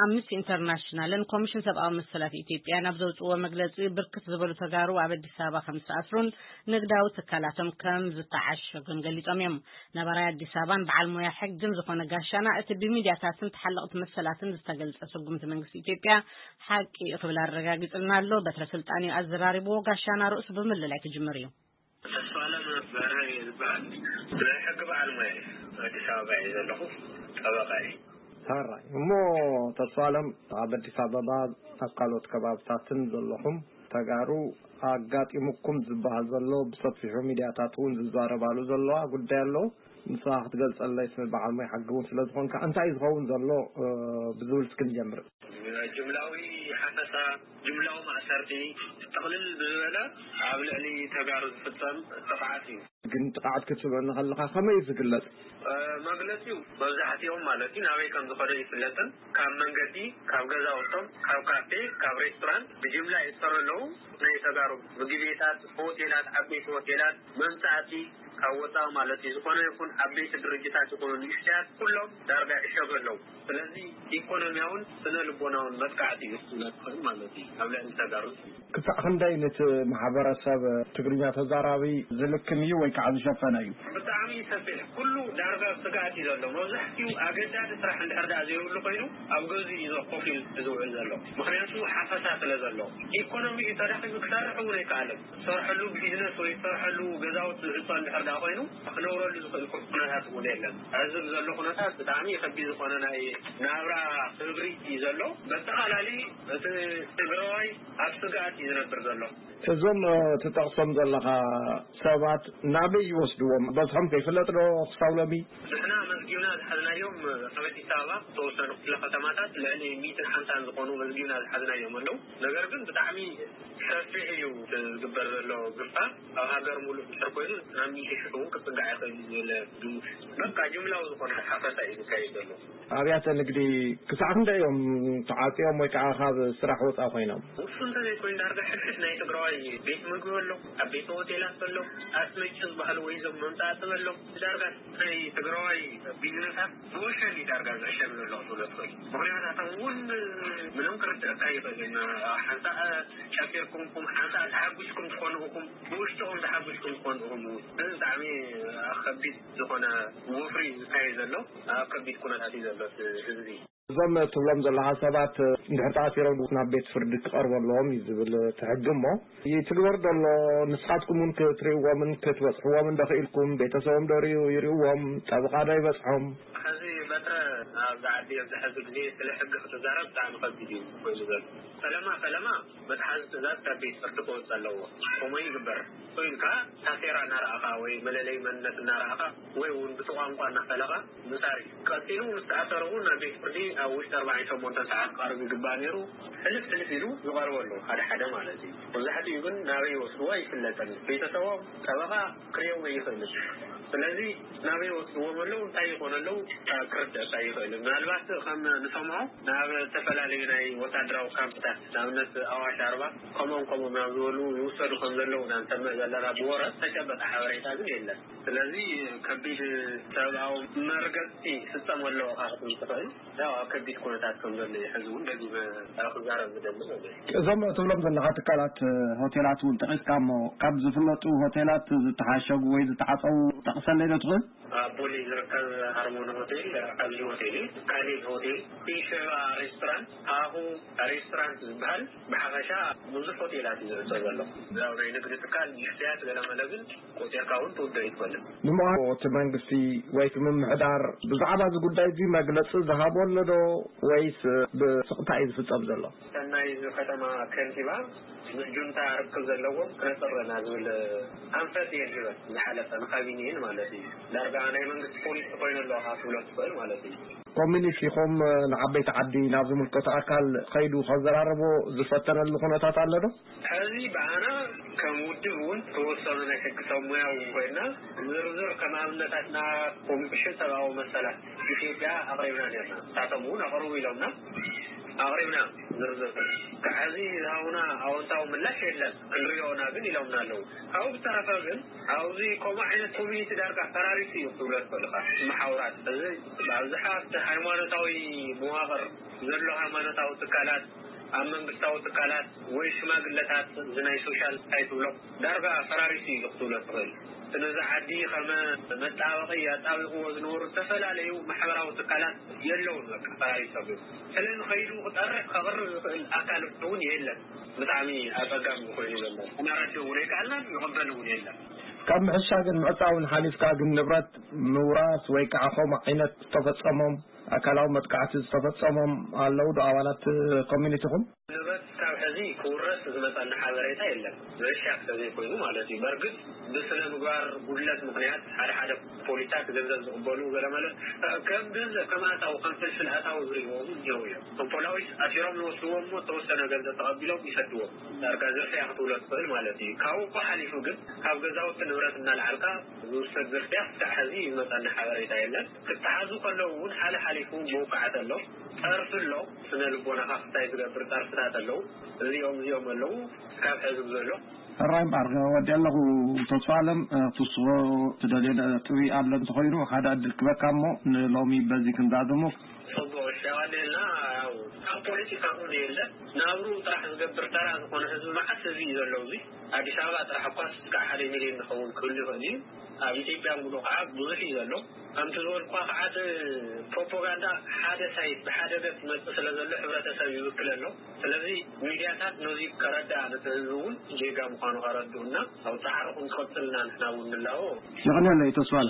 ኣምነስቲ ኢንተርናሽናልን ኮሚሽን ሰብኣዊ መሰላት ኢትዮጵያን ኣብ ዘውፅዎ መግለፂ፣ ብርክት ዝበሉ ተጋሩ ኣብ ኣዲስ ኣበባ ከም ዝተኣስሩን ንግዳዊ ትካላቶም ከም ዝተዓሸጉን ገሊጾም እዮም። ነባራይ ኣዲስ ኣበባን በዓል ሞያ ሕግን ዝኾነ ጋሻና፣ እቲ ብሚድያታትን ተሓለቕቲ መሰላትን ዝተገልጸ ስጉምቲ መንግስቲ ኢትዮጵያ ሓቂ እዩ ክብል ኣረጋጊጽልና ኣሎ። በትረ ስልጣን እዩ ኣዘራሪብዎ። ጋሻና ርእሱ ብምልላይ ክጅምር እዩ። ተስፋለም በርሀ እየ ዝበሃል። ናይ ሕጊ በዓል ሞያ እየ። ኣዲስ ኣበባ እየ ዘለኹ። ጠበቓ እየ። ሕራይ እሞ፣ ተስፋለም፣ ኣብ ኣዲስ ኣበባ ኣብ ካልኦት ከባብታትን ዘለኹም ተጋሩ ኣጋጢሙኩም ዝበሃል ዘሎ፣ ብሰፊሑ ሚድያታት እውን ዝዛረባሉ ዘለዋ ጉዳይ ኣሎ። ንስኻ ክትገልጸለይ፣ ስም በዓል ሞያ ሕጊ እውን ስለ ዝኾንካ፣ እንታይ እዩ ዝኸውን ዘሎ፣ እ፣ ብዝብል እስኪ ንጀምር። ጅምላዊ ሓፈሳ፣ ጅምላዊ ማእሰርቲ፣ ጥቕልል ብዝበለ ኣብ ልዕሊ ተጋሩ ዝፍጸም ጥቕዓት እዩ። ግን ጥቕዓት ክትብል ከለኻ ከመይ እዩ ዝግለጽ? እ፣ መግለጺኡ መብዛሕትኦም ማለት እዩ ናበይ ከም ዝኾነ ይፍለጥን፣ ካብ መንገዲ፣ ካብ ገዛውቶም፣ ካብ ካፌ፣ ካብ ሬስቶራንት ብጅምላ ይእሰሩ ኣለዉ። ናይ ተጋሩ ምግቢ ቤታት፣ ሆቴላት፣ ዓበይቲ ሆቴላት፣ መምጻእቲ ካብ ወጻኢ ማለት እዩ፣ ዝኾነ ይኹን ዓበይቲ ድርጅታት ይኹኑ ንእሽተያት፣ ኩሎም ዳርጋ ይዕሸጉ ኣለዉ። ስለዚ ኢኮኖሚያውን ስነ ልቦናውን መጥቃዕቲ እዩ እሱ ነጥፍን ማለት እዩ ኣብ ልዕሊ ተጋሩ። ክሳዕ ክንደይ ነቲ ማሕበረሰብ ትግርኛ ተዛራቢ ዝልክም እዩ ወይ ከዓ ዝሸፈነ እዩ? ብጣዕሚ ሰፊሕ፣ ኩሉ ዳርጋ ኣብ ስግኣት እዩ ዘሎ። መብዛሕትኡ ኣገዳሲ ስራሕ እንድሕር ደኣ ዘይብሉ ኮይኑ፣ ኣብ ገዝኡ እዩ ኮፍ ኢሉ ዝውዕል ዘሎ። ምኽንያቱ ሓፈሳ ስለ ዘሎ። ኢኮኖሚ እዩ ተዳኺሙ፣ ክሰርሕ እውን ኣይከኣለን። ዝሰርሐሉ ቢዝነስ ወይ ዝሰርሐሉ ገዛውቲ ዝህንጾ እንድሕር ደኣ ኮይኑ፣ ክነብረሉ ዝኽእል ኩ-፣ ኩነታት እውን የለን። ሕዚ ብዘሎ ኩነታት ብጣዕሚ ከቢድ ዝኾነ ናይ ናብራ ክብሪ እዩ ዘሎ። በተኻላሊ እቲ ትግራዋይ ኣብ ስግኣት እዩ ዝነብር ዘሎ። እዞም፣ እ፣ ትጠቕሶም ዘለኻ ሰባት ናበይ ይወስድዎም? በዝሖም ከይፍለጥ ዶ ክሳብ ሎሚ? ንሕና መዝጊብና ዝሓዝናዮም ኣብ ኣዲስ ኣበባ ዝተወሰኑ ክፍለ ከተማታት ልዕሊ ሚእትን ሓምሳን ዝኾኑ መዝጊብና ዝሓዝናዮም ኣለዉ። ነገር ግን ብጣዕሚ ሰፊሕ እዩ ዝግበር ዘሎ ግፋ። ኣብ ሃገር ሙሉእ እንድሕር ኮይኑ ናብ ሚእቲ ሽሕ እውን ክጽጋዕ ይኽእል እዩ ዝብል ግምት። በቃ ጅምላዊ ዝኾነ ሓፈሳ እዩ ዝካየድ ዘሎ። ኣብያተ ንግዲ ክሳዕ ክንደይ እዮም ተዓጽዮም ወይ ከዓ ካብ ስራሕ ወፃኢ ኮይኖም? ውሱን እንተዘይኮይኑ ዳርጋ ሕድሕድ ናይ ትግራዋይ ቤት ምግቢ ኣሎ፣ ኣብ ቤት ሆቴላት ኣሎ፣ ኣስመጭ ዝበሃሉ ወይ እዞም መምፃእቲ ኣሎ። ዳርጋ ናይ ትግራዋይ ቢዝነሳት ብወሸኒ ዳርጋ ዝዕሸግ ዘሎ ክትብሎ ትኽእል። ምኽንያታቶም እውን ምንም ክርድአካ ይኽእል። ሓንሳእ ጨፊርኩም ኢኹም፣ ሓንሳእ ተሓጒስኩም ትኾኑ ኢኹም፣ ብውሽጥኹም ተሓጒስኩም ትኾኑ ኢኹም። እዚ ብጣዕሚ ከቢድ ዝኾነ ወፍሪ ዝካየድ ዘሎ፣ ኣብ ከቢድ ኩነታት እዩ ዘሎ እቲ ህዝቢ። እዞም ትብሎም ዘለኻ ሰባት እንድሕር ተኣሲሮም ናብ ቤት ፍርዲ ክቐርቡ ኣለዎም እዩ ዝብል እቲ ሕጊ። እሞ ይትግበር ዶ ኣሎ? ንስኻትኩም እውን ክትርእይዎምን ክትበጽሕዎምን ዶ ክኢልኩም? ቤተሰቦም ዶ ርእዩ-፣ ይርእይዎም? ጠበቓ ዶ ይበጽሖም? ሕዚ በትረ ኣብዚ ዓዲ ኣብዚ ሕዚ ግዜ ስለ ሕጊ ክትዛረብ ብጣዕሚ ከቢድ እዩ ኮይኑ ዘሎ። ፈለማ ፈለማ መትሓዚ ትእዛዝ ካብ ቤት ፍርዲ ክወፅእ ኣለዎ። ከምኡ ይግበር። ኮይንካ ታሴራ እናረኣኻ ወይ መለለይ መንነት እናረኣኻ ወይ እውን ብቲ ቋንቋ እናፈለኻ ምሳር እዩ። ቀፂሉ ምስ ተኣሰረ እውን ናብ ቤት ፍርዲ ኣብ ውሽጢ ኣርባዕን ሸሞንተን ሰዓት ክቐርብ ይግባእ ነይሩ። ሕልፍ ሕልፍ ኢሉ ዝቐርበሉ ሓደ ሓደ ማለት እዩ። መብዛሕትኡ ግን ናበይ ይወስድዎ ኣይፍለጥን። ቤተሰቦም፣ ጠበቓ ክርእዮም ኣይኽእልን። ስለዚ ናበይ ይወስድዎም ኣለዉ፣ እንታይ ይኾኑ ኣለዉ፣ ክርደእ ኣይኽእልን። ምናልባት ከም ንሰምዖ ናብ ዝተፈላለዩ ናይ ወታደራዊ ካምፕታት፣ ንኣብነት ኣዋሽ ኣርባ፣ ከምኦም ከምኦም ናብ ዝበሉ ይውሰዱ ከም ዘለዉ ኢና ንሰምዕ ዘለና። ብወረ ዝተጨበጠ ሓበሬታ ግን የለን። ስለዚ ከቢድ ሰብኣዊ መርገጽቲ ይፍጸም ኣሎ ኢኻ ክትብል ትኽእል። ያው ኣብ ከቢድ ኩነታት ከም ዘሎ እዩ ሕዚ እውን ደጊመ ክዛረብ ዝደሊ ማለት እዩ። እዞም ትብሎም ዘለኻ ትካላት፣ ሆቴላት እውን ጠቒስካ እሞ፣ ካብ ዝፍለጡ ሆቴላት ዝተሓሸጉ ወይ ዝተዓጸዉ ጠቕሰለይ ዶ ትኽእል? ኣብ ቦሌ ዝርከብ ሃርሞኒ ሆቴል ዓብዪ ሆቴል እዩ። ካሌብ ሆቴል፣ ሸባ ሬስቶራንት፣ ሃሁ ሬስቶራንት ዝበሃል፣ ብሓፈሻ ብዙሕ ሆቴላት እዩ ዝዕጾ ዘሎ። ያው ናይ ንግዲ ትካል ንእሽተያት ገለመለ ግን ቆጺርካ እውን ትውደእ ኣይትኽእልን። ንምዃኑ እቲ መንግስቲ ወይ እቲ ምምሕዳር ብዛዕባ እዚ ጉዳይ እዚ መግለጺ ዝሃቦ ኣሎ ዶ ወይስ ብስቕታ እዩ ዝፍጸም ዘሎ? ሰናይ፣ እዚ ከተማ ከንቲባ ምስ ጁንታ ርክብ ዘለዎም ክነጽር ኣለና ዝብል ኣንፈት እየን ሂበን፣ ዝሓለፈ ንካቢኔን ማለት እዩ። ዳርጋ ናይ መንግስቲ ፖሊሲ ኮይኑ ኣለዎ ካብ ትብሎ ትኽእል ማለት እዩ። ኮሚኒስት ኢኹም፣ ንዓበይቲ ዓዲ ናብ ዝምልከቶ ኣካል ከይዱ ከዘራርቦ ዝፈተነሉ ኩነታት ኣሎ ዶ? ሕዚ ብኣና ከም ውድብ እውን ተወሰኑ ናይ ሕጊ ሰብ ሞያ እውን ኮይና፣ ዝርዝር ከም ኣብነታትና ኮሚሽን ሰብኣዊ መሰላት ኢትዮጵያ ኣቕሪብና ነርና። ንሳቶም እውን ኣቕርቡ ኢሎምና። ኣቕሪብና ዝርዝር። ክሕዚ ዝሃቡና ኣወንታዊ ምላሽ የለን፣ ክንሪኦ ኢና ግን ኢሎምና ኣለዉ። ካብኡ ብተረፈ ግን ኣብዚ ከምኡ ዓይነት ኮሚኒቲ ዳርጋ ፈራሪሱ እዩ ክትብሎ ትኽእል ኢኻ። መሓውራት እዚ ብኣብዝሓ ኣብቲ ሃይማኖታዊ መዋቕር ዘሎ ሃይማኖታዊ ትካላት፣ ኣብ መንግስታዊ ትካላት ወይ ሽማግለታት እዚ ናይ ሶሻል እንታይ ትብሎ ዳርጋ ፈራሪሱ እዩ ክትብሎ ትኽእል። ስለዚ ዓዲ ከመ መጣበቂ ኣጣቢቕዎ ዝነበሩ ዝተፈላለዩ ማሕበራዊ ትካላት የለውን፣ በቃ ፈራሪሶም እዮም። ስለዚ ከይዱ ክጠርሕ ከቕርብ ዝኽእል ኣካል እውን የለን። ብጣዕሚ ኣፀጋሚ ኮይኑ ዘሎ። ክነረድእ እውን ኣይከኣልናን፣ ይቕበል እውን የለን። ካብ ምሕሻ ግን ምዕፃውን ሓሊፍካ ግን ንብረት ምውራስ ወይ ከዓ ከምኡ ዓይነት ዝተፈፀሞም ኣካላዊ መጥቃዕቲ ዝተፈፀሞም ኣለዉ ዶ ኣባላት ኮሚኒቲኹም? ንብረት ካብ ሕዚ ክውረስ ዝመፀና ሓበሬታ የለን። ምሕሻ ተዘይኮይኑ ማለት እዩ። በርግጥ ብስነ ምግባር ጉድለት ምኽንያት ሓደ ሓደ ፖሊሳት ገንዘብ ዝቕበሉ ገለመለ ከም ገንዘብ ከም ኣታዊ ከም ፍልፍል ኣታዊ ዝርእይዎ እውን እኒሀው እዮም። ከም ፖላዊስ ኣሲሮም ይወስድዎም እሞ እተወሰነ ገንዘብ ተቐቢሎም ይሰድዎም። ዳርጋ ዝርፍያ ክትብሎ ትኽእል ማለት እዩ። ካብኡ ሓሊፉ ግን ካብ ገዛውቲ ንብረት እናልዓልካ ዝውሰድ ዝርፍያ ክሳዕ ሕዚ ዝመፀና ሓበሬታ የለን። ክተሓዙ ከለዉ እውን ሓለ ሓሊፉ መውቃዕቲ ኣሎ፣ ፀርፊ ኣሎ፣ ስነ ልቦናኻ ክስታይ ዝገብር ፀርፍታት ኣለዉ። እዚኦም እዚኦም ኣለዉ ካብ ሕዚ ዘሎ። ሕራይ እምበኣር ወዲ ኣለኹ። ተስፋ ኣለም፣ እ፣ ክትስዎ ትደልዮ ነጥቢ ኣሎ እንተኾይኑ ሓደ ዕድል ክበካ እሞ ንሎሚ በዚ ክንዛዘሞ። ፅቡቕ፣ እሺ፣ ኣዋዴልና ያው ኣብ ፖለቲካ እውን የለ ናብሩ ጥራሕ ዝገብር ተራ ዝኾነ ህዝቢ መዓስ ህዝቢ እዩ ዘሎ። እዚ ኣዲስ ኣበባ ጥራሕ እኳ እስካዕ ሓደ ሚሊዮን ዝኸውን ክህሉ ይኽእል እዩ። ኣብ ኢትዮጵያ ሙሉ ከዓ ብዙሕ እዩ ዘሎ። ከምቲ ዝበልኳ ከዓ እቲ ፕሮፓጋንዳ ሓደ ሳይት ብሓደ ገፅ ይመፅእ ስለ ዘሎ ሕብረተሰብ ይውክል ኣሎ። ስለዚ ሚድያታት ነዚ ከረድኣ ነቲ ህዝቢ እውን ጌጋ ምዃኑ ከረድኡና ኣብ ፃዕርኹም ትቐፅልና ንሕና እውን ንላቦ። የቐንየለይ ተስፋለ።